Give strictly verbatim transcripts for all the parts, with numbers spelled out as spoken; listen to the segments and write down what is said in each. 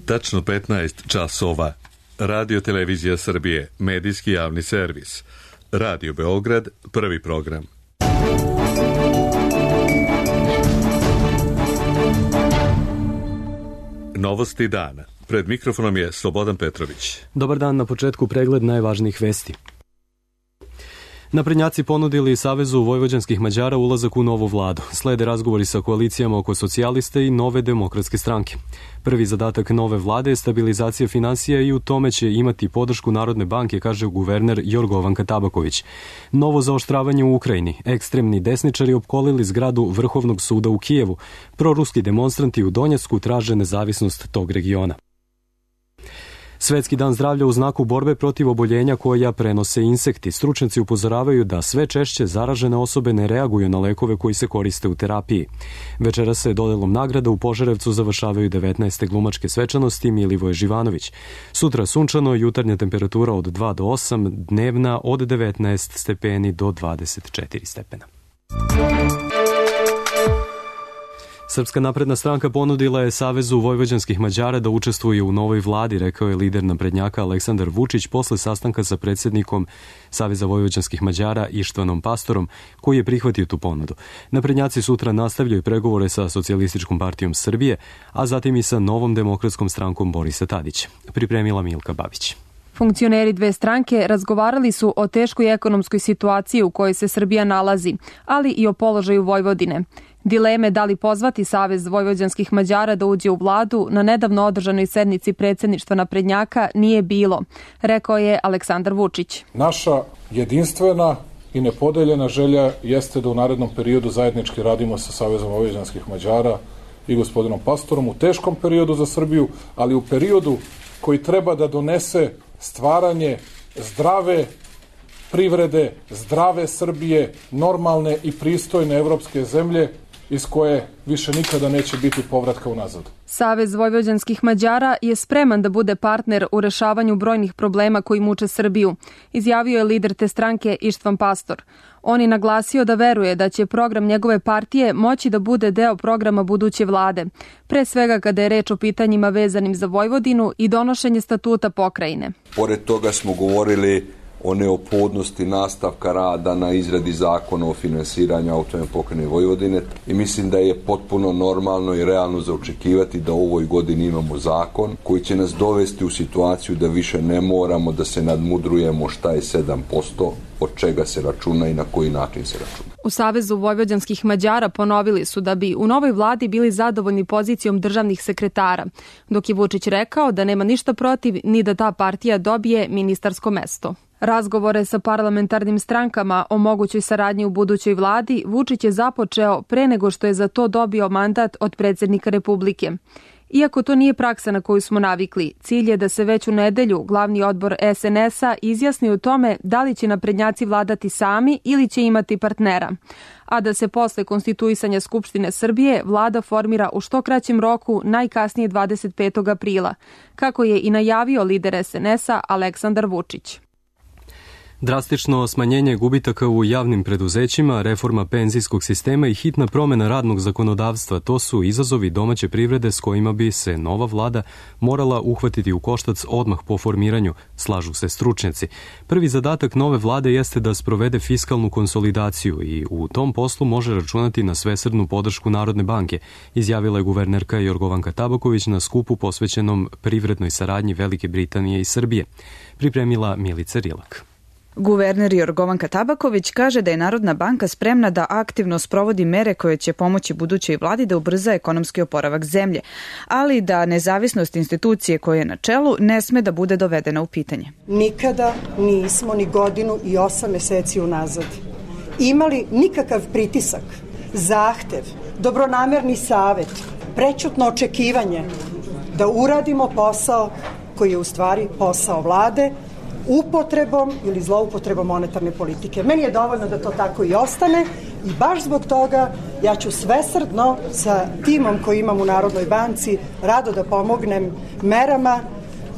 Tačno petnaest časova. Radio Televizija Srbije, medijski javni servis. Radio Beograd, prvi program. Novosti dana. Pred mikrofonom je Slobodan Petrović. Dobar dan, na početku pregled najvažnijih vesti. Naprednjaci ponudili Savezu vojvođanskih Mađara ulazak u novu vladu. Slede razgovori sa koalicijama oko socijaliste i nove demokratske stranke. Prvi zadatak nove vlade je stabilizacija finansija i u tome će imati podršku Narodne banke, kaže guverner Jorgovanka Tabaković. Novo zaoštravanje u Ukrajini. Ekstremni desničari opkolili zgradu Vrhovnog suda u Kijevu. Proruski demonstranti u Donjecku traže nezavisnost tog regiona. Svetski dan zdravlja u znaku borbe protiv oboljenja koja prenose insekti. Stručnjaci upozoravaju da sve češće zaražene osobe ne reaguju na lekove koji se koriste u terapiji. Večera se dodelom nagrada u Požarevcu završavaju devetnaeste glumačke svečanosti Milivoje Živanović. Sutra sunčano, jutarnja temperatura od dva do osam, dnevna od devetnaest stepeni do dvadeset četiri stepena. Srpska napredna stranka ponudila je Savezu vojvođanskih Mađara da učestvuje u novoj vladi, rekao je lider naprednjaka Aleksandar Vučić posle sastanka sa predsjednikom Saveza vojvođanskih Mađara Ištvanom Pastorom, koji je prihvatio tu ponudu. Naprednjaci sutra nastavljaju pregovore sa Socijalističkom partijom Srbije, a zatim i sa Novom demokratskom strankom Borisa Tadića. Pripremila Milka Babić. Funkcioneri dve stranke razgovarali su o teškoj ekonomskoj situaciji u kojoj se Srbija nalazi, ali i o položaju Vojvodine. Dileme da li pozvati Savez vojvođanskih Mađara da uđe u vladu na nedavno održanoj sednici predsjedništva naprednjaka nije bilo, rekao je Aleksandar Vučić. Naša jedinstvena i nepodeljena želja jeste da u narednom periodu zajednički radimo sa Savezom vojvođanskih Mađara i gospodinom Pastorom u teškom periodu za Srbiju, ali u periodu koji treba da donese stvaranje zdrave privrede, zdrave Srbije, normalne i pristojne evropske zemlje iz koje više nikada neće biti povratka unazad. Savez vojvođanskih Mađara je spreman da bude partner u rešavanju brojnih problema koji muče Srbiju, izjavio je lider te stranke Ištvan Pastor. On je naglasio da veruje da će program njegove partije moći da bude deo programa buduće vlade, pre svega kada je reč o pitanjima vezanim za Vojvodinu i donošenje statuta pokrajine. Pored toga smo govorili o neophodnosti nastavka rada na izradi zakona o finansiranju autonomne pokrajine Vojvodine i mislim da je potpuno normalno i realno za očekivati da u ovoj godini imamo zakon koji će nas dovesti u situaciju da više ne moramo da se nadmudrujemo šta je sedam posto, od čega se računa i na koji način se računa. U Savezu vojvođanskih Mađara ponovili su da bi u novoj vladi bili zadovoljni pozicijom državnih sekretara, dok je Vučić rekao da nema ništa protiv ni da ta partija dobije ministarsko mesto. Razgovore sa parlamentarnim strankama o mogućoj saradnji u budućoj vladi Vučić je započeo pre nego što je za to dobio mandat od predsjednika Republike. Iako to nije praksa na koju smo navikli, cilj je da se već u nedelju glavni odbor es en es a izjasni o tome da li će naprednjaci vladati sami ili će imati partnera, a da se posle konstituisanja Skupštine Srbije vlada formira u što kraćem roku, najkasnije dvadeset petog aprila, kako je i najavio lider es en es a Aleksandar Vučić. Drastično smanjenje gubitaka u javnim preduzećima, reforma penzijskog sistema i hitna promjena radnog zakonodavstva, to su izazovi domaće privrede s kojima bi se nova vlada morala uhvatiti u koštac odmah po formiranju, slažu se stručnjaci. Prvi zadatak nove vlade jeste da sprovede fiskalnu konsolidaciju i u tom poslu može računati na svesrdnu podršku Narodne banke, izjavila je guvernerka Jorgovanka Tabaković na skupu posvećenom privrednoj saradnji Velike Britanije i Srbije. Pripremila Milica Rilak. Guverner Jorgovanka Tabaković kaže da je Narodna banka spremna da aktivno sprovodi mere koje će pomoći budućoj vladi da ubrza ekonomski oporavak zemlje, ali da nezavisnost institucije koje je na čelu ne sme da bude dovedena u pitanje. Nikada nismo ni godinu i osam meseci unazad imali nikakav pritisak, zahtev, dobronamerni savet, prećutno očekivanje da uradimo posao koji je u stvari posao vlade, upotrebom ili zloupotrebom monetarne politike. Meni je dovoljno da to tako i ostane i baš zbog toga ja ću svesrdno sa timom koji imam u Narodnoj banci rado da pomognem merama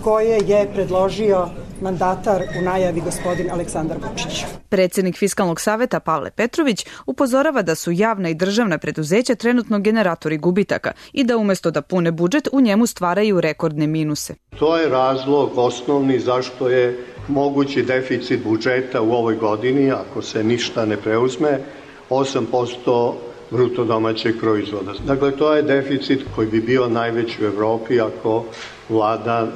koje je predložio mandatar u najavi gospodin Aleksandar Vučić. Predsjednik Fiskalnog saveta Pavle Petrović upozorava da su javna i državna preduzeća trenutno generatori gubitaka i da umjesto da pune budžet u njemu stvaraju rekordne minuse. To je razlog osnovni zašto je mogući deficit budžeta u ovoj godini, ako se ništa ne preuzme, osam posto bruto domaćeg proizvoda. Dakle, to je deficit koji bi bio najveći u Evropi ako vlada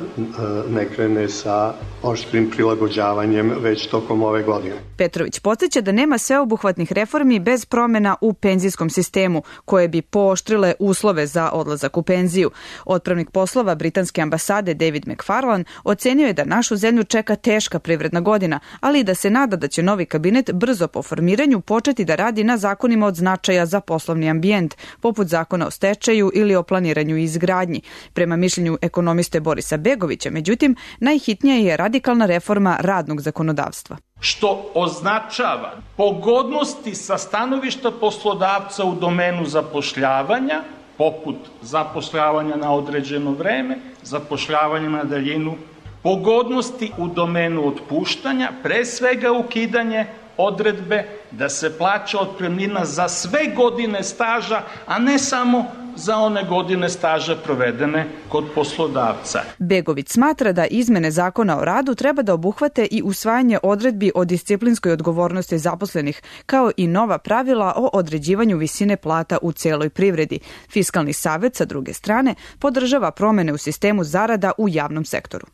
ne krene sa oštrim prilagođavanjem već tokom ove godine. Petrović podsjeća da nema sveobuhvatnih reformi bez promjena u penzijskom sistemu, koje bi pooštrile uslove za odlazak u penziju. Otpravnik poslova britanske ambasade David McFarlane ocenio je da našu zemlju čeka teška privredna godina, ali i da se nada da će novi kabinet brzo po formiranju početi da radi na zakonima od značaja za poslovni ambijent, poput zakona o stečaju ili o planiranju i izgradnji. Prema mišljenju ekonomista Borisa Begovića, međutim, najhitnija je radikalna reforma radnog zakonodavstva. Što označava pogodnosti sa stanovišta poslodavca u domenu zapošljavanja, poput zapošljavanja na određeno vreme, zapošljavanja na daljinu, pogodnosti u domenu otpuštanja, pre svega ukidanje odredbe da se plaća otpremnina za sve godine staža, a ne samo za one godine staža provedene kod poslodavca. Begović smatra da izmene zakona o radu treba da obuhvate i usvajanje odredbi o disciplinskoj odgovornosti zaposlenih, kao i nova pravila o određivanju visine plata u celoj privredi. Fiskalni savet, sa druge strane, podržava promene u sistemu zarada u javnom sektoru.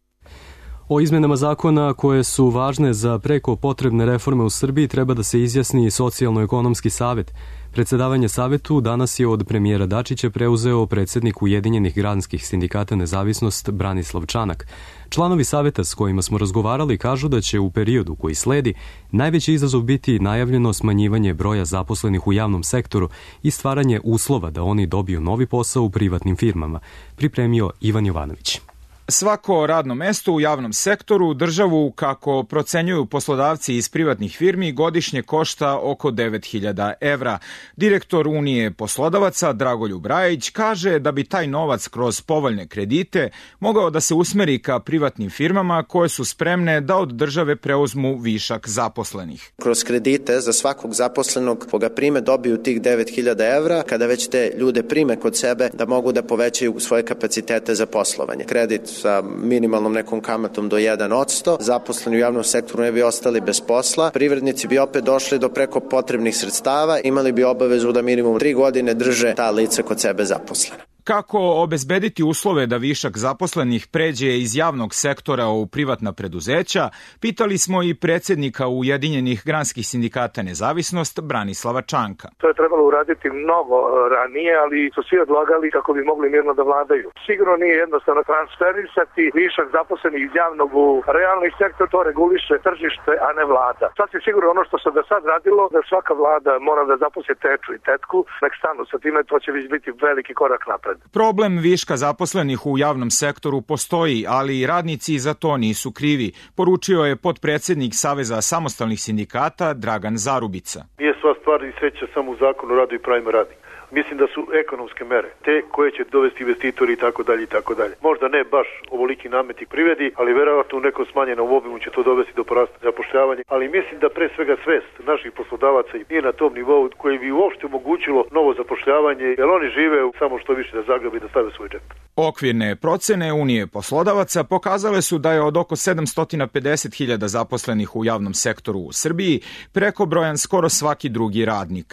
O izmenama zakona koje su važne za preko potrebne reforme u Srbiji treba da se izjasni i Socijalno-ekonomski savet. Predsedavanje savetu danas je od premijera Dačića preuzeo predsjednik Ujedinjenih granskih sindikata Nezavisnost Branislav Čanak. Članovi saveta s kojima smo razgovarali kažu da će u periodu koji sledi najveći izazov biti najavljeno smanjivanje broja zaposlenih u javnom sektoru i stvaranje uslova da oni dobiju novi posao u privatnim firmama, pripremio Ivan Jovanović. Svako radno mesto u javnom sektoru državu, kako procenjuju poslodavci iz privatnih firmi, godišnje košta oko devet hiljada evra. Direktor Unije poslodavaca Dragoljub Rajić kaže da bi taj novac kroz povoljne kredite mogao da se usmeri ka privatnim firmama koje su spremne da od države preuzmu višak zaposlenih. Kroz kredite za svakog zaposlenog koga prime dobiju tih devet hiljada evra, kada već te ljude prime kod sebe da mogu da povećaju svoje kapacitete za poslovanje. Kredit sa minimalnom nekom kamatom do jedan posto, zaposleni u javnom sektoru ne bi ostali bez posla, privrednici bi opet došli do preko potrebnih sredstava, imali bi obavezu da minimum tri godine drže ta lica kod sebe zaposlena. Kako obezbediti uslove da višak zaposlenih pređe iz javnog sektora u privatna preduzeća, pitali smo i predsjednika Ujedinjenih granskih sindikata Nezavisnost Branislava Čanka. To je trebalo uraditi mnogo ranije, ali su svi odlagali kako bi mogli mirno da vladaju. Sigurno nije jednostavno transferisati višak zaposlenih iz javnog u realni sektor, to reguliše tržište, a ne vlada. Sad je sigurno ono što se do sad radilo, da svaka vlada mora da zaposli teču i tetku, nek stanu sa time, to će već biti veliki korak napred. Problem viška zaposlenih u javnom sektoru postoji, ali i radnici za to nisu krivi, poručio je potpredsjednik Saveza samostalnih sindikata Dragan Zarubica. Nije sva stvar i sreća samo u zakonu o radu i pravima radnika. Mislim da su ekonomske mere te koje će dovesti investitori i tako dalje i tako dalje. Možda ne baš ovoliki nameti privredi, ali verovatno u nekom smanjenom obimu će to dovesti do porasta zapošljavanja. Ali mislim da pre svega svest naših poslodavaca nije na tom nivou koji bi uopšte omogućilo novo zapošljavanje, jer oni žive samo što više da zagrabi da stave svoj džep. Okvirne procene Unije poslodavaca pokazale su da je od oko sedamsto pedeset hiljada zaposlenih u javnom sektoru u Srbiji prekobrojan skoro svaki drugi radnik.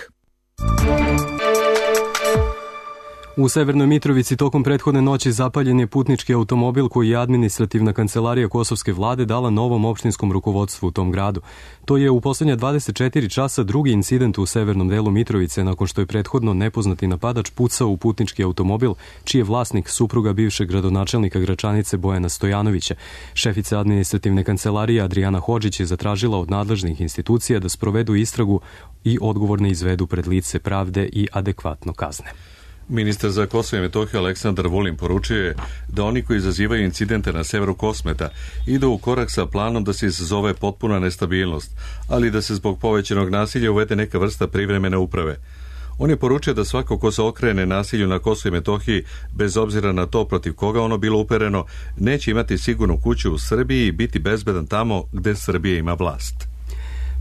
U Severnoj Mitrovici tokom prethodne noći zapaljen je putnički automobil koji je administrativna kancelarija kosovske vlade dala novom opštinskom rukovodstvu u tom gradu. To je u poslednja dvadeset četiri časa drugi incident u severnom delu Mitrovice nakon što je prethodno nepoznati napadač pucao u putnički automobil, čiji je vlasnik supruga bivšeg gradonačelnika Gračanice Bojana Stojanovića. Šefica administrativne kancelarije Adrijana Hodžić je zatražila od nadležnih institucija da sprovedu istragu i odgovorne izvedu pred lice pravde i adekvatno kazne. Ministar za Kosovo i Metohiju Aleksandar Vulin poručio je da oni koji izazivaju incidente na severu Kosmeta idu u korak sa planom da se izazove potpuna nestabilnost, ali da se zbog povećanog nasilja uvede neka vrsta privremene uprave. On je poručio da svako ko se okrene nasilju na Kosovu i Metohiji, bez obzira na to protiv koga ono bilo upereno, neće imati sigurnu kuću u Srbiji i biti bezbedan tamo gde Srbija ima vlast.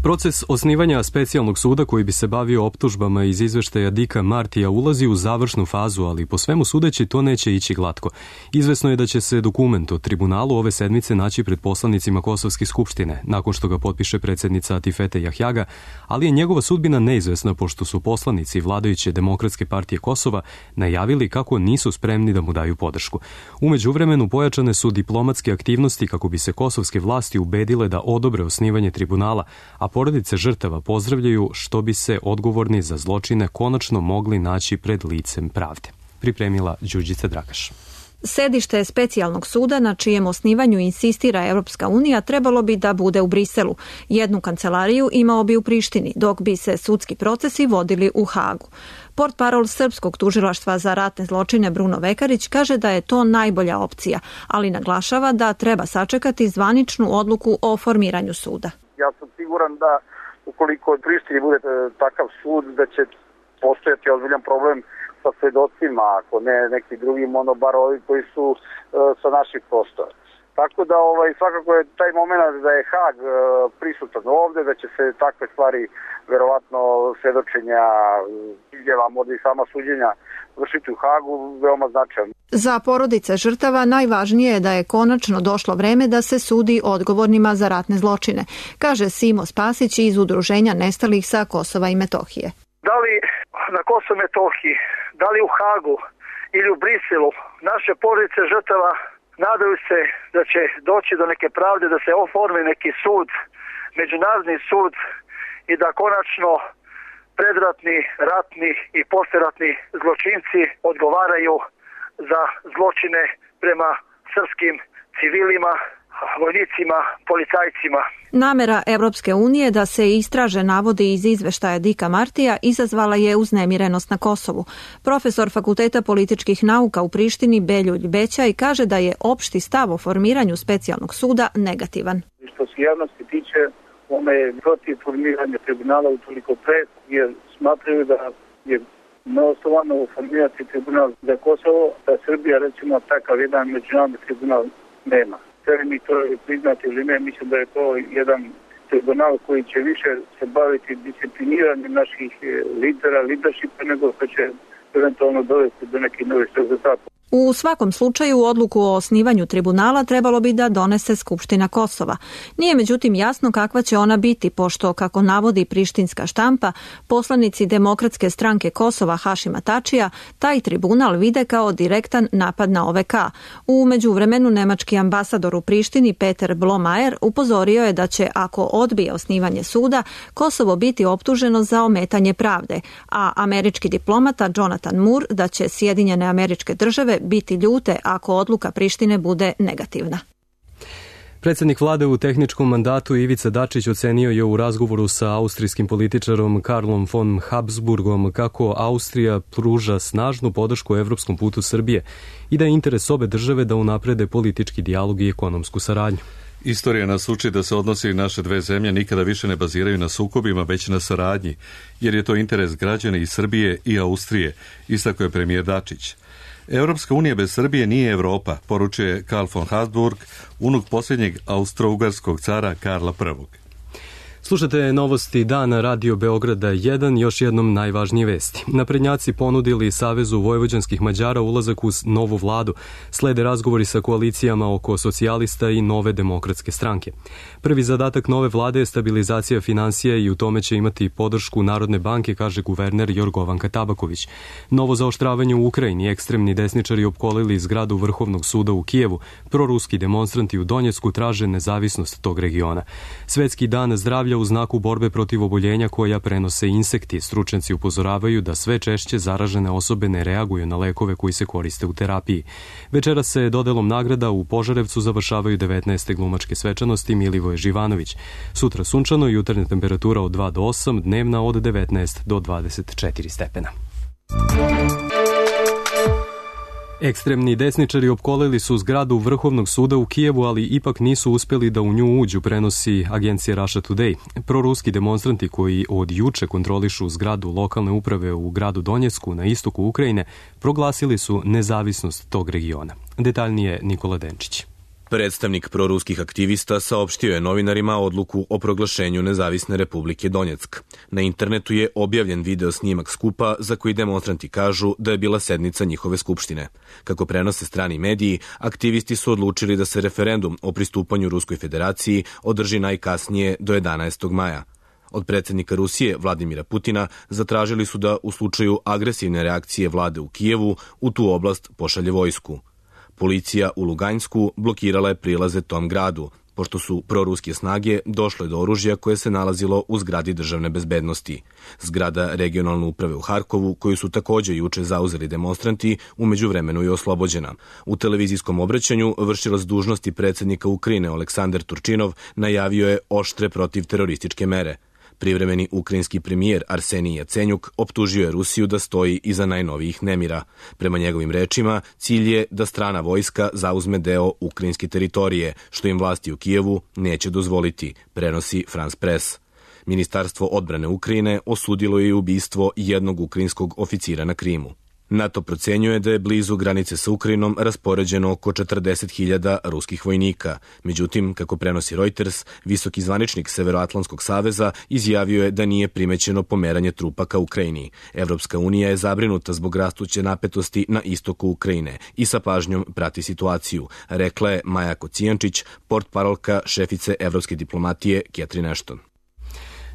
Proces osnivanja specijalnog suda koji bi se bavio optužbama iz izveštaja Dika Martija ulazi u završnu fazu, ali po svemu sudeći to neće ići glatko. Izvesno je da će se dokument o tribunalu ove sedmice naći pred poslanicima Kosovske skupštine, nakon što ga potpiše predsjednica Atifete Jahjaga, ali je njegova sudbina neizvesna pošto su poslanici vladajuće Demokratske partije Kosova najavili kako nisu spremni da mu daju podršku. U međuvremenu pojačane su diplomatske aktivnosti kako bi se kosovske vlasti ubedile da odobre osnivanje tribunala, a porodice žrtava pozdravljaju što bi se odgovorni za zločine konačno mogli naći pred licem pravde. Pripremila Đurđica Dragaš. Sedište specijalnog suda na čijem osnivanju insistira Europska unija trebalo bi da bude u Briselu. Jednu kancelariju imao bi u Prištini, dok bi se sudski procesi vodili u Hagu. Portparol Srpskog tužilaštva za ratne zločine Bruno Vekarić kaže da je to najbolja opcija, ali naglašava da treba sačekati zvaničnu odluku o formiranju suda. Ja sam siguran da ukoliko u Prištini bude takav sud, da će postojati ozbiljan problem sa svedocima, ako ne neki drugi, ono bar ovi koji su uh, sa naših prostora. Tako da ovaj, svakako je taj moment da je Hag uh, prisutan ovde, da će se takve stvari, verovatno svedočenja, izjava, možda i sama suđenja vršiti u Hagu, veoma značajno. Za porodice žrtava najvažnije je da je konačno došlo vreme da se sudi odgovornima za ratne zločine, kaže Simo Spasić iz Udruženja nestalih sa Kosova i Metohije. Da li na Kosovu i Metohiji, da li u Hagu ili u Briselu, naše porodice žrtava nadaju se da će doći do neke pravde, da se oformi neki sud, međunarodni sud i da konačno predratni, ratni i posleratni zločinci odgovaraju za zločine prema srpskim civilima, vojnicima, policajcima. Namera Evropske unije da se istraže navodi iz izveštaja Dika Martija izazvala je uznemirenost na Kosovu. Profesor Fakulteta političkih nauka u Prištini Beljulj Bećaj kaže da je opšti stav o formiranju specijalnog suda negativan. Što se javnosti tiče, ona je protiv formiranja tribunala utoliko pre, jer smatraju da je neosnovano formirati tribunal za Kosovo, da Srbija recimo takav jedan međunarodni tribunal nema. Sve mi to priznati ili ne, mislim da je to jedan tribunal koji će više se baviti discipliniranjem naših lidera, leadershipa, nego što će eventualno dovesti do nekih novih rezultata. U svakom slučaju odluku o osnivanju tribunala trebalo bi da donese Skupština Kosova. Nije međutim jasno kakva će ona biti, pošto, kako navodi prištinska štampa, poslanici Demokratske stranke Kosova Hašima Tačija taj tribunal vide kao direktan napad na O V K. U međuvremenu nemački ambasador u Prištini Peter Blomajer upozorio je da će, ako odbije osnivanje suda, Kosovo biti optuženo za ometanje pravde, a američki diplomata Jonathan Moore da će Sjedinjene Američke Države biti ljute ako odluka Prištine bude negativna. Predsjednik vlade u tehničkom mandatu Ivica Dačić ocenio je u razgovoru sa austrijskim političarom Karlom von Habsburgom kako Austrija pruža snažnu podršku evropskom putu Srbije i da je interes obe države da unaprede politički dijalog i ekonomsku saradnju. Istorija nas uči da se odnosi naše dve zemlje nikada više ne baziraju na sukobima, već na saradnji, jer je to interes građana i Srbije i Austrije, istakao je premijer Dačić. Europska unija bez Srbije nije Evropa, poručuje Karl von Habsburg, unuk posljednjeg austro-ugarskog cara Karla prvog. Slušate novosti dana Radio Beograda jedan, još jednom najvažnije vesti. Naprednjaci ponudili Savezu vojvođanskih Mađara ulazak u novu vladu. Slede razgovori sa koalicijama oko socijalista i Nove demokratske stranke. Prvi zadatak nove vlade je stabilizacija finansija i u tome će imati podršku Narodne banke, kaže guverner Jorgovanka Tabaković. Novo zaoštravanje u Ukrajini, ekstremni desničari opkolili zgradu Vrhovnog suda u Kijevu, proruski demonstranti u Donjecku traže nezavisnost tog regiona. Svetski dan zdravlja u znaku borbe protiv oboljenja koja prenose insekti. Stručnjaci upozoravaju da sve češće zaražene osobe ne reaguju na lekove koji se koriste u terapiji. Večera se dodelom nagrada u Požarevcu završavaju devetnaeste glumačke svečanosti Milivoje Živanović. Sutra sunčano, jutarnja temperatura od dva do osam, dnevna od devetnaest do dvadeset četiri stepena. Ekstremni desničari opkolili su zgradu Vrhovnog suda u Kijevu, ali ipak nisu uspjeli da u nju uđu, prenosi agencija Russia Today. Proruski demonstranti koji od juče kontrolišu zgradu lokalne uprave u gradu Donjecku na istoku Ukrajine proglasili su nezavisnost tog regiona. Detaljnije Nikola Denčić. Predstavnik proruskih aktivista saopštio je novinarima odluku o proglašenju Nezavisne Republike Donjeck. Na internetu je objavljen video snimak skupa za koji demonstranti kažu da je bila sednica njihove skupštine. Kako prenose strani mediji, aktivisti su odlučili da se referendum o pristupanju Ruskoj federaciji održi najkasnije do jedanaestog maja. Od predsjednika Rusije Vladimira Putina zatražili su da u slučaju agresivne reakcije vlade u Kijevu u tu oblast pošalje vojsku. Policija u Luganjsku blokirala je prilaze tom gradu, pošto su proruske snage došle do oružja koje se nalazilo u zgradi državne bezbednosti. Zgrada regionalne uprave u Harkovu, koju su također juče zauzeli demonstranti, u međuvremenu je oslobođena. U televizijskom obraćanju vršilac dužnosti predsjednika Ukrajine Oleksandar Turčinov najavio je oštre protivterorističke mere. Privremeni ukrajinski premijer Arsenij Jacenjuk optužio je Rusiju da stoji iza najnovijih nemira. Prema njegovim rečima, cilj je da strana vojska zauzme deo ukrajinske teritorije, što im vlasti u Kijevu neće dozvoliti, prenosi France Press. Ministarstvo odbrane Ukrajine osudilo je ubistvo jednog ukrajinskog oficira na Krimu. NATO procenjuje da je blizu granice sa Ukrajinom raspoređeno oko četrdeset hiljada ruskih vojnika. Međutim, kako prenosi Reuters, visoki zvaničnik Severoatlantskog saveza izjavio je da nije primećeno pomeranje trupa ka Ukrajini. Evropska unija je zabrinuta zbog rastuće napetosti na istoku Ukrajine i sa pažnjom prati situaciju, rekla je Maja Kocijančić, portparolka šefice evropske diplomatije Catherine Ashton.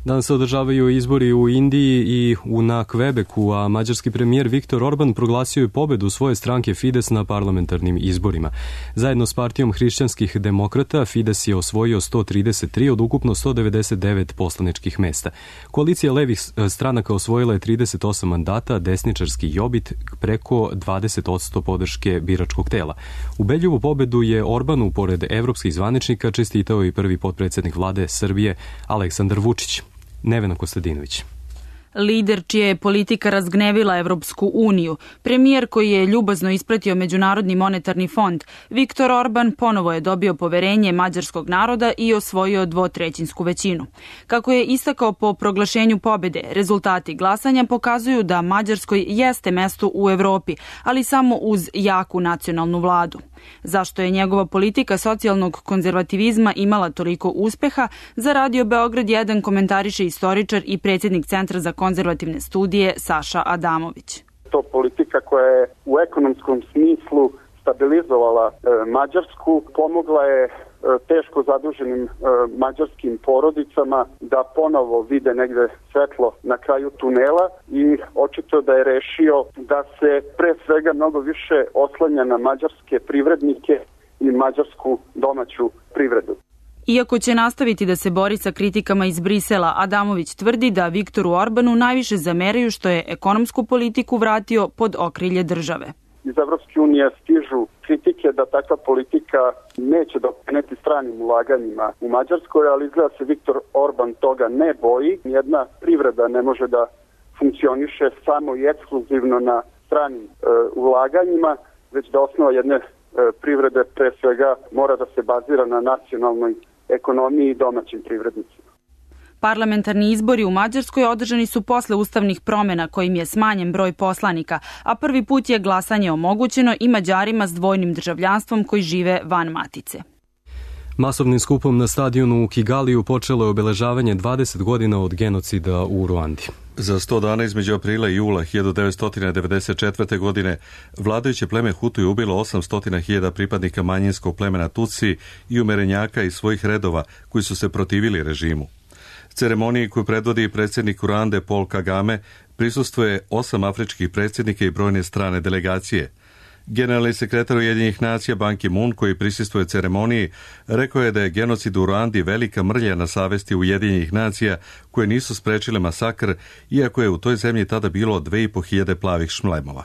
Danas se održavaju izbori u Indiji i u na Kvebeku, a mađarski premijer Viktor Orban proglasio je pobedu svoje stranke Fides na parlamentarnim izborima. Zajedno s partijom hrišćanskih demokrata, Fides je osvojio sto trideset tri od ukupno sto devedeset devet poslaničkih mesta. Koalicija levih stranaka osvojila je trideset osam mandata, desničarski Jobbik preko dvadeset posto podrške biračkog tela. Ubedljivu pobedu je Orbanu, pored evropskih zvaničnika, čestitao i prvi potpredsjednik vlade Srbije Aleksandar Vučić. Nevena Kostadinović. Lider čija je politika razgnevila Evropsku uniju, premijer koji je ljubazno ispratio Međunarodni monetarni fond, Viktor Orban ponovo je dobio poverenje mađarskog naroda i osvojio dvotrećinsku većinu. Kako je istakao po proglašenju pobede, rezultati glasanja pokazuju da Mađarskoj jeste mesto u Evropi, ali samo uz jaku nacionalnu vladu. Zašto je njegova politika socijalnog konzervativizma imala toliko uspeha, za Radio Beograd jedan komentariše istoričar i predsjednik Centra za konzervativne studije Saša Adamović. To politika koja je u ekonomskom smislu stabilizovala e, Mađarsku, pomogla je e, teško zaduženim e, mađarskim porodicama da ponovo vide negde svetlo na kraju tunela i očito da je rešio da se pre svega mnogo više oslanja na mađarske privrednike i mađarsku domaću privredu. Iako će nastaviti da se bori sa kritikama iz Brisela, Adamović tvrdi da Viktoru Orbanu najviše zameraju što je ekonomsku politiku vratio pod okrilje države. Iz Evropske unije stižu kritike da takva politika neće doprineti stranim ulaganjima u Mađarskoj, ali izgleda se Viktor Orban toga ne boji. Jedna privreda ne može da funkcioniše samo i ekskluzivno na stranim e, ulaganjima, već da osnova jedne e, privrede pre svega mora da se bazira na nacionalnoj ekonomiji i domaćim privrednicima. Parlamentarni izbori u Mađarskoj održani su posle ustavnih promjena kojim je smanjen broj poslanika, a prvi put je glasanje omogućeno i Mađarima s dvojnim državljanstvom koji žive van matice. Masovnim skupom na stadionu u Kigaliju počelo je obeležavanje dvadeset godina od genocida u Ruandi. Za sto dana između aprila i jula hiljadu devetsto devedeset četvrte. godine vladajuće pleme Hutu je ubilo osamsto hiljada pripadnika manjinskog plemena Tutsi i umerenjaka iz svojih redova koji su se protivili režimu. Ceremoniji koju predvodi predsjednik Ruande Paul Kagame prisustvuje osam afričkih predsjednika i brojne strane delegacije. Generalni sekretar Ujedinjenih nacija Ban Ki-moon, koji prisustvuje ceremoniji, rekao je da je genocid u Ruandi velika mrlja na savesti Ujedinjenih nacija koje nisu sprečile masakr, iako je u toj zemlji tada bilo dve i po hiljade plavih šmlemova.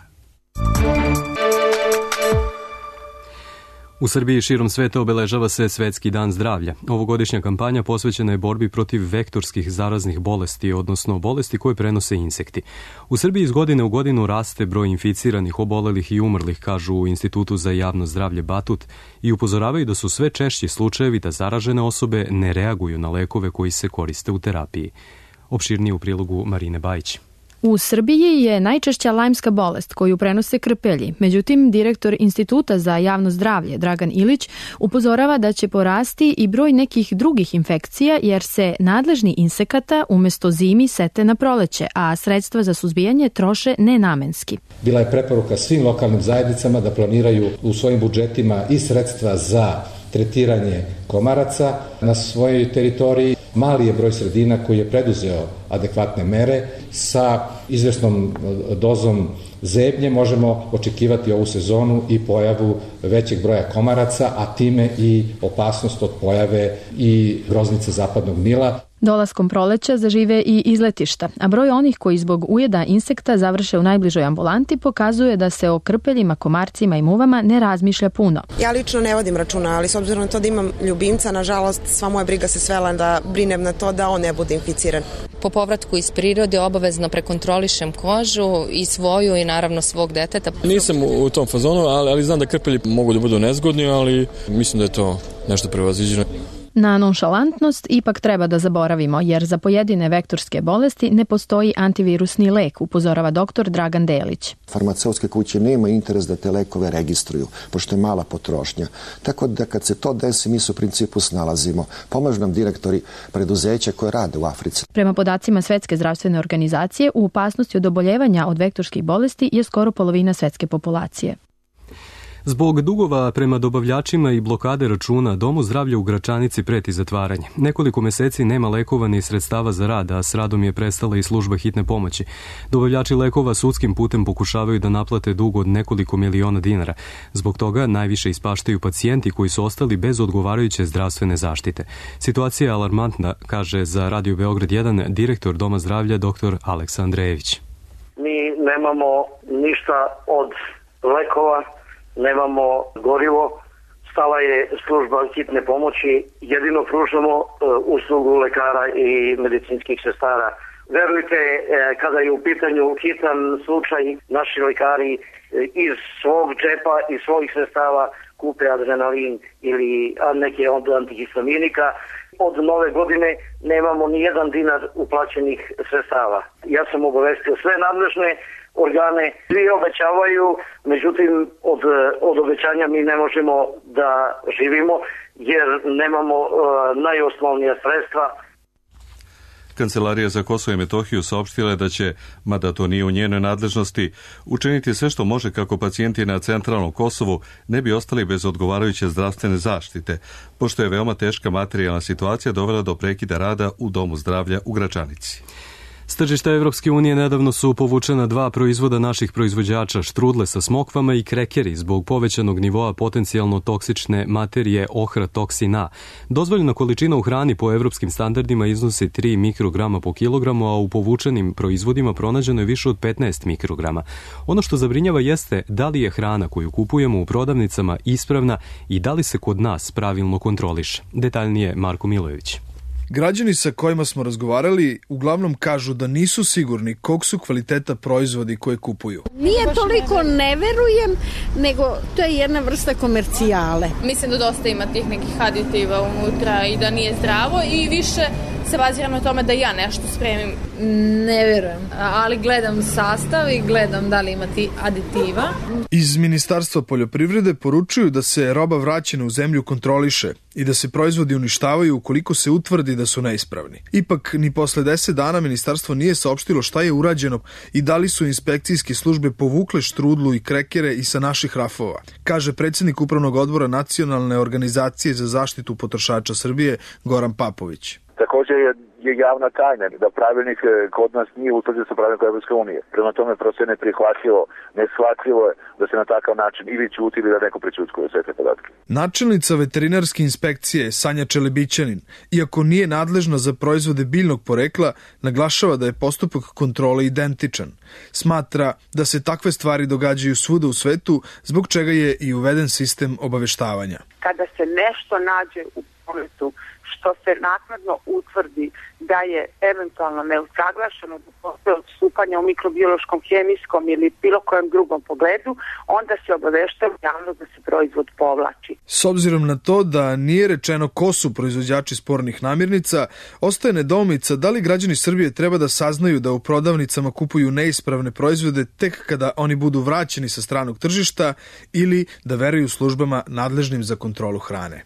U Srbiji širom sveta obeležava se Svetski dan zdravlja. Ovogodišnja kampanja posvećena je borbi protiv vektorskih zaraznih bolesti, odnosno bolesti koje prenose insekti. U Srbiji iz godine u godinu raste broj inficiranih, obolelih i umrlih, kažu u Institutu za javno zdravlje Batut, i upozoravaju da su sve češći slučajevi da zaražene osobe ne reaguju na lekove koji se koriste u terapiji. Opširnije u prilogu Marine Bajić. U Srbiji je najčešća lajmska bolest koju prenose krpelji. Međutim, direktor Instituta za javno zdravlje Dragan Ilić upozorava da će porasti i broj nekih drugih infekcija jer se nadležni insekata umesto zimi sete na proleće, a sredstva za suzbijanje troše nenamenski. Bila je preporuka svim lokalnim zajednicama da planiraju u svojim budžetima i sredstva za tretiranje komaraca na svojoj teritoriji. Mali je broj sredina koji je preduzeo adekvatne mere. Sa izvesnom dozom zebnje možemo očekivati ovu sezonu i pojavu većeg broja komaraca, a time i opasnost od pojave i groznice zapadnog Nila. Dolaskom proleća zažive i izletišta, a broj onih koji zbog ujeda insekta završe u najbližoj ambulanti pokazuje da se o krpeljima, komarcima i muvama ne razmišlja puno. Ja lično ne vodim računa, ali s obzirom na to da imam ljubimca, nažalost, sva moja briga se svela da brinem na to da on ne bude inficiran. Po povratku iz prirode obavezno prekontrolišem kožu i svoju i naravno svog deteta. Nisam u tom fazonu, ali, ali znam da krpelji mogu da budu nezgodni, ali mislim da je to nešto prevaziđeno. Na nonšalantnost ipak treba da zaboravimo, jer za pojedine vektorske bolesti ne postoji antivirusni lek, upozorava doktor Dragan Delić. Farmaceutske kuće nema interes da te lekove registruju, pošto je mala potrošnja. Tako da kad se to desi, mi se u principu snalazimo. Pomažu nam direktori preduzeća koje rade u Africi. Prema podacima Svetske zdravstvene organizacije, u opasnosti od oboljevanja od vektorskih bolesti je skoro polovina svetske populacije. Zbog dugova prema dobavljačima i blokade računa, Domu zdravlja u Gračanici preti zatvaranje. Nekoliko meseci nema lekova ni sredstava za rad, a s radom je prestala i služba hitne pomoći. Dobavljači lekova sudskim putem pokušavaju da naplate dug od nekoliko miliona dinara. Zbog toga najviše ispaštaju pacijenti koji su ostali bez odgovarajuće zdravstvene zaštite. Situacija je alarmantna, kaže za Radio Beograd jedan direktor Doma zdravlja dr. Aleksa Andrejević. Mi nemamo ništa od lekova, nemamo gorivo, stala je služba hitne pomoći, jedino pružamo e, uslugu lekara i medicinskih sestara. Verujte, e, kada je u pitanju hitan slučaj, naši lekari e, iz svog džepa i svojih sredstava kupe adrenalin ili neke od antihistaminika. Od nove godine nemamo ni jedan dinar uplaćenih sredstava. Ja sam obavestio sve nadležne organe, svi obećavaju, međutim od, od obećanja mi ne možemo da živimo jer nemamo uh, najosnovnija sredstva. Kancelarija za Kosovo i Metohiju saopštila je da će, mada to nije u njenoj nadležnosti, učiniti sve što može kako pacijenti na centralnom Kosovu ne bi ostali bez odgovarajuće zdravstvene zaštite, pošto je veoma teška materijalna situacija dovela do prekida rada u Domu zdravlja u Gračanici. S tržišta Evropske unije nedavno su povučena dva proizvoda naših proizvođača, štrudle sa smokvama i krekeri, zbog povećanog nivoa potencijalno toksične materije ohratoxin A. Dozvoljena količina u hrani po evropskim standardima iznosi tri mikrograma po kilogramu, a u povučenim proizvodima pronađeno je više od petnaest mikrograma. Ono što zabrinjava jeste da li je hrana koju kupujemo u prodavnicama ispravna i da li se kod nas pravilno kontroliše. Detaljnije Marko Milojević. Građani sa kojima smo razgovarali uglavnom kažu da nisu sigurni kog su kvaliteta proizvodi koje kupuju. Nije toliko ne verujem, nego to je jedna vrsta komercijale. Mislim da dosta ima tih nekih aditiva unutra i da nije zdravo i više se baziram na tome da ja nešto spremim. Ne verujem, ali gledam sastav i gledam da li ima ti aditiva. Iz Ministarstva poljoprivrede poručuju da se roba vraćena u zemlju kontroliše i da se proizvodi uništavaju ukoliko se utvrdi da su neispravni. Ipak, ni posle deset dana ministarstvo nije saopštilo šta je urađeno i da li su inspekcijske službe povukle štrudlu i krekere i sa naših rafova, kaže predsjednik Upravnog odbora Nacionalne organizacije za zaštitu potrošača Srbije Goran Papović. Također je, je javna tajna da pravilnik kod nas nije utvrđen sa pravilnikom Evropske unije. Prema tome prosto je neprihvatljivo, neshvatljivo je da se na takav način ili ćuti ili da neko prećutkuje sve te podatke. Načelnica veterinarske inspekcije Sanja Čelebićanin, iako nije nadležna za proizvode biljnog porekla, naglašava da je postupak kontrole identičan. Smatra da se takve stvari događaju svuda u svetu, zbog čega je i uveden sistem obaveštavanja. Kada se nešto nađe u prometu što se naknadno utvrdi da je eventualno neusaglašeno, da postoje odstupanja u mikrobiološkom, hemijskom ili bilo kojem drugom pogledu, onda se obaveštava javnost da se proizvod povlači. S obzirom na to da nije rečeno ko su proizvođači spornih namirnica, ostaje nedoumica da li građani Srbije treba da saznaju da u prodavnicama kupuju neispravne proizvode tek kada oni budu vraćeni sa stranog tržišta ili da veruju službama nadležnim za kontrolu hrane.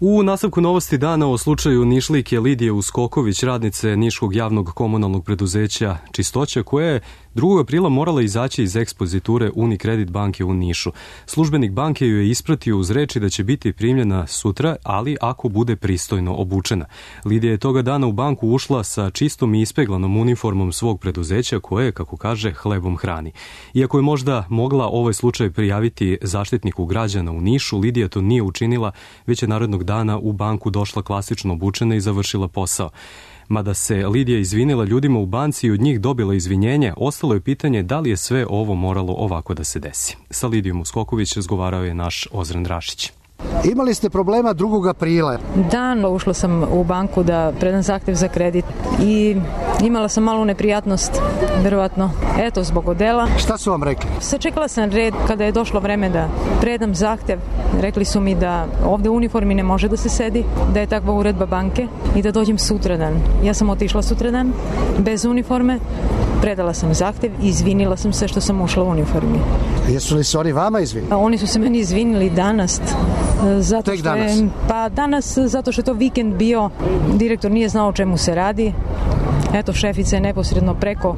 U nastavku novosti dana o slučaju Nišlijke Lidije Uskoković, radnice Niškog javnog komunalnog preduzeća Čistoća, koja je drugog aprila morala izaći iz ekspoziture Unicredit banke u Nišu. Službenik banke ju je ispratio uz reči da će biti primljena sutra, ali ako bude pristojno obučena. Lidija je toga dana u banku ušla sa čistom i ispeglanom uniformom svog preduzeća koje, kako kaže, hlebom hrani. Iako je možda mogla ovaj slučaj prijaviti zaštitniku građana u Nišu, Lidija to nije učinila, već je narednog dana u banku došla klasično obučena i završila posao. Mada se Lidija izvinila ljudima u banci i od njih dobila izvinjenje, ostalo je pitanje da li je sve ovo moralo ovako da se desi. Sa Lidijom Uskoković razgovarao je naš Ozren Rašić. Imali ste problema drugog aprila. Dan ušla sam u banku da predam zahtev za kredit i imala sam malu neprijatnost, verovatno, eto, zbog odela. Šta su vam rekli? Sačekala sam red kada je došlo vreme da predam zahtev. Rekli su mi da ovde u uniformi ne može da se sedi, da je takva uredba banke i da dođem sutradan. Ja sam otišla sutradan, bez uniforme, predala sam zahtev i izvinila sam se što sam ušla u uniformi. Jesu li se oni vama izvinili? Oni su se meni izvinili danas. Zato Tek što je, danas? Pa danas, zato što je to vikend bio, direktor nije znao o čemu se radi. Eto, šefica je neposredno preko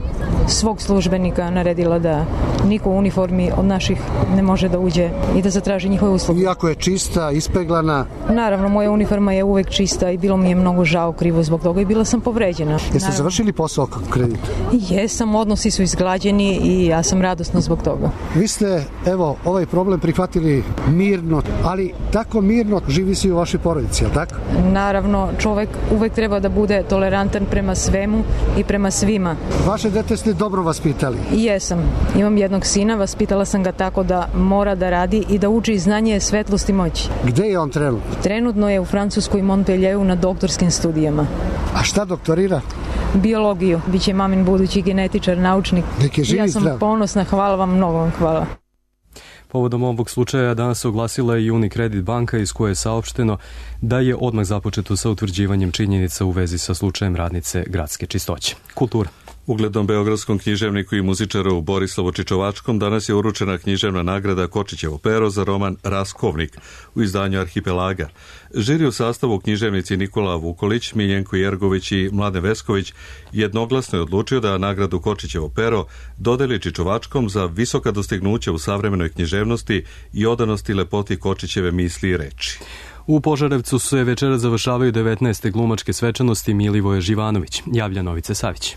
svog službenika naredila da niko u uniformi od naših ne može da uđe i da zatraži njihove usluge. Iako je čista, ispeglana? Naravno, moja uniforma je uvek čista i bilo mi je mnogo žao, krivo zbog toga i bila sam povređena. Jeste Naravno. završili posao kredita? Jesam, odnosi su izglađeni i ja sam radosna zbog toga. Vi ste, evo, ovaj problem prihvatili mirno, ali tako mirno živi se i u vašoj porodici, je li tako? Naravno, čovek uvek treba da bude tolerantan prema svemu i prema svima. Vaše dete ste dobro vaspitali? Jesam. Imam jednog sina, vaspitala sam ga tako da mora da radi i da uči znanje, svetlost i moć. Gde je on trenutno? Trenutno je u Francuskoj Montpellieru na doktorskim studijama. A šta doktorira? Biologiju. Biće mamin budući genetičar, naučnik. Nek je živi ja sam zdrav. ponosna, hvala vam, mnogo vam hvala. Povodom ovog slučaja danas se oglasila i Unicredit banka iz koje je saopšteno da je odmah započeto sa utvrđivanjem činjenica u vezi sa slučajem radnice gradske čistoće. Kultura. Uglednom beogradskom književniku i muzičaru Borislavu Čičovačkom danas je uručena književna nagrada Kočićevo pero za roman Raskovnik u izdanju Arhipelaga. Žiri u sastavu književnici Nikola Vukolić, Miljenko Jergović i Mladen Vesković jednoglasno je odlučio da nagradu Kočićevo pero dodeli Čičovačkom za visoka dostignuća u savremenoj književnosti i odanosti lepoti Kočićeve misli i reči. U Požarevcu se večera završavaju devetnaeste glumačke svečanosti Milivoje Živanović, javlja Novice Savić.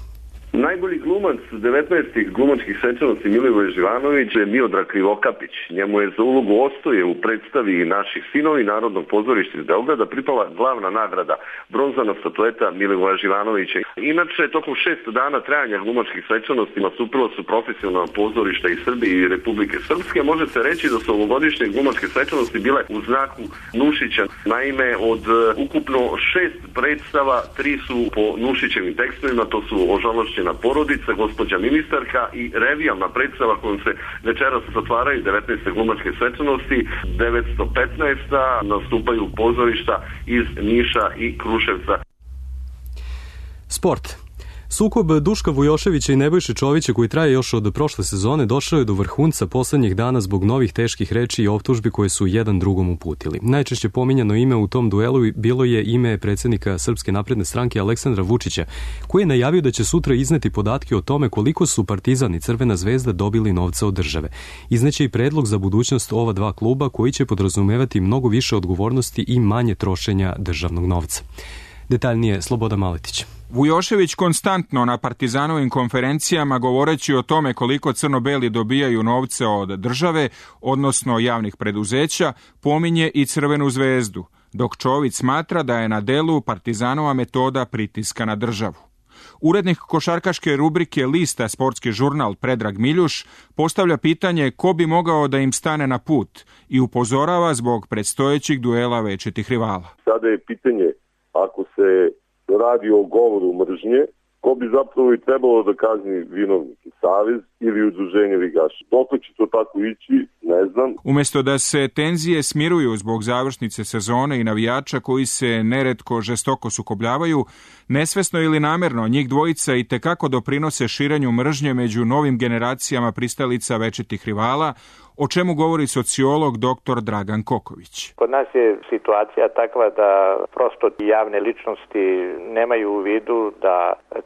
Najbolji glumac devetnaestih glumačkih svečanosti Milivoje Živanović je Miodrag Krivokapić. Njemu je za ulogu Ostoje u predstavi Naših sinovi Narodnog pozorišta iz Beograda pripala glavna nagrada, bronzana statueta Milivoja Živanovića. Inače, tokom šest dana trajanja glumačkih svečanosti nastupila su profesionalna pozorišta iz Srbije i Republike Srpske. Može se reći da su ovogodišnje glumačke svečanosti bile u znaku Nušića. Naime, od ukupno šest predstava, tri su po Nušićevim tekstovima, to su Ožalošćena porodica, gospođa ministarka i revijalna predstava kojom se večeras zatvaraju devetnaeste glumačke svečanosti. devetsto petnaesta nastupaju pozorišta iz Niša i Kruševca. Sport. Sukob Duška Vujoševića i Nebojše Čovića, koji traje još od prošle sezone, došao je do vrhunca poslednjih dana zbog novih teških reči i optužbi koje su jedan drugom uputili. Najčešće pominjano ime u tom duelu bilo je ime predsjednika Srpske napredne stranke Aleksandra Vučića, koji je najavio da će sutra izneti podatke o tome koliko su Partizan i Crvena zvezda dobili novca od države. Izneće i predlog za budućnost ova dva kluba koji će podrazumevati mnogo više odgovornosti i manje trošenja državnog novca. Detaljnije Slobodan Maletić. Vujošević konstantno na Partizanovim konferencijama govoreći o tome koliko crno-beli dobijaju novce od države, odnosno javnih preduzeća, pominje i Crvenu zvezdu, dok Čović smatra da je na delu Partizanova metoda pritiska na državu. Urednik košarkaške rubrike Lista Sportski žurnal Predrag Miljuš postavlja pitanje ko bi mogao da im stane na put i upozorava zbog predstojećih duela večitih rivala. Sada je pitanje, ako se radi o govoru mržnje, ko bi zapravo i trebalo da kazni vinovnike, savez ili udruženje ligaša. Dok će to tako ići, ne znam. Umjesto da se tenzije smiruju zbog završnice sezone i navijača koji se neretko žestoko sukobljavaju, nesvesno ili namerno njih dvojica i tekako doprinose širenju mržnje među novim generacijama pristalica večitih rivala, o čemu govori sociolog doktor Dragan Koković. Kod nas je situacija takva da prosto javne ličnosti nemaju u vidu da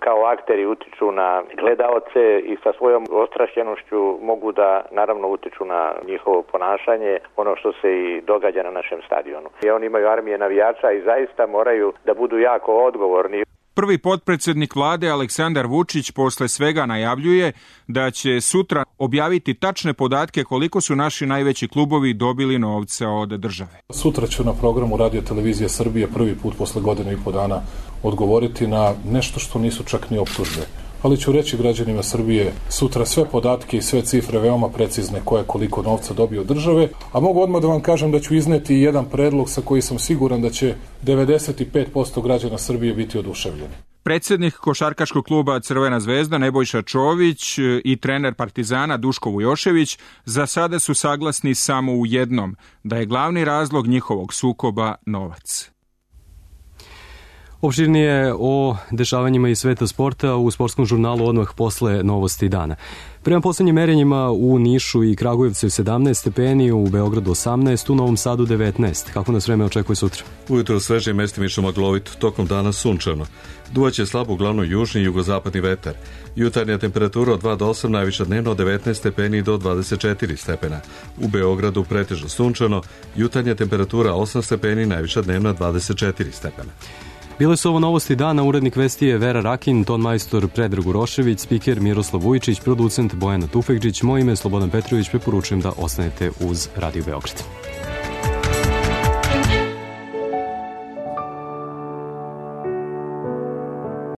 kao akteri utiču na gledaoce i sa svojom ostrašćenošću mogu da naravno utiču na njihovo ponašanje, ono što se i događa na našem stadionu. I oni imaju armije navijača i zaista moraju da budu jako odgovorni. Prvi potpredsjednik vlade Aleksandar Vučić posle svega najavljuje da će sutra objaviti tačne podatke koliko su naši najveći klubovi dobili novca od države. Sutra ću na programu Radio Televizije Srbije prvi put posle godinu i po dana odgovoriti na nešto što nisu čak ni optužbe. Ali ću reći građanima Srbije sutra sve podatke i sve cifre veoma precizne ko je koliko novca dobio od države, a mogu odmah da vam kažem da ću izneti jedan predlog sa koji sam siguran da će devedeset pet posto građana Srbije biti oduševljeni. Predsjednik košarkaškog kluba Crvena zvezda Nebojša Čović i trener Partizana Duško Vujošević za sada su saglasni samo u jednom, da je glavni razlog njihovog sukoba novac. Opširnije o dešavanjima iz sveta sporta u sportskom žurnalu odmah posle novosti dana. Prema poslednjim merenjima u Nišu i Kragujevcu sedamnaest stepeni, u Beogradu osamnaest, u Novom Sadu devetnaest. Kako nas vreme očekuje sutra? Ujutro sveže i mestimično maglovito, tokom dana sunčano. Duvaće slabo uglavnom južni i jugozapadni vetar. Jutarnja temperatura od dva do osam, najviša dnevno od devetnaest stepeni do dvadeset četiri stepena. U Beogradu pretežno sunčano, jutarnja temperatura osam stepeni, najviša dnevna dvadeset četiri stepena. Bile su ovo novosti dana, urednik vesti je Vera Rakin, ton majstor Predrag Urošević, spiker Miroslav Vujičić, producent Bojana Tufekđić, moje ime je Slobodan Petrović, preporučujem da ostanete uz Radio Beograd.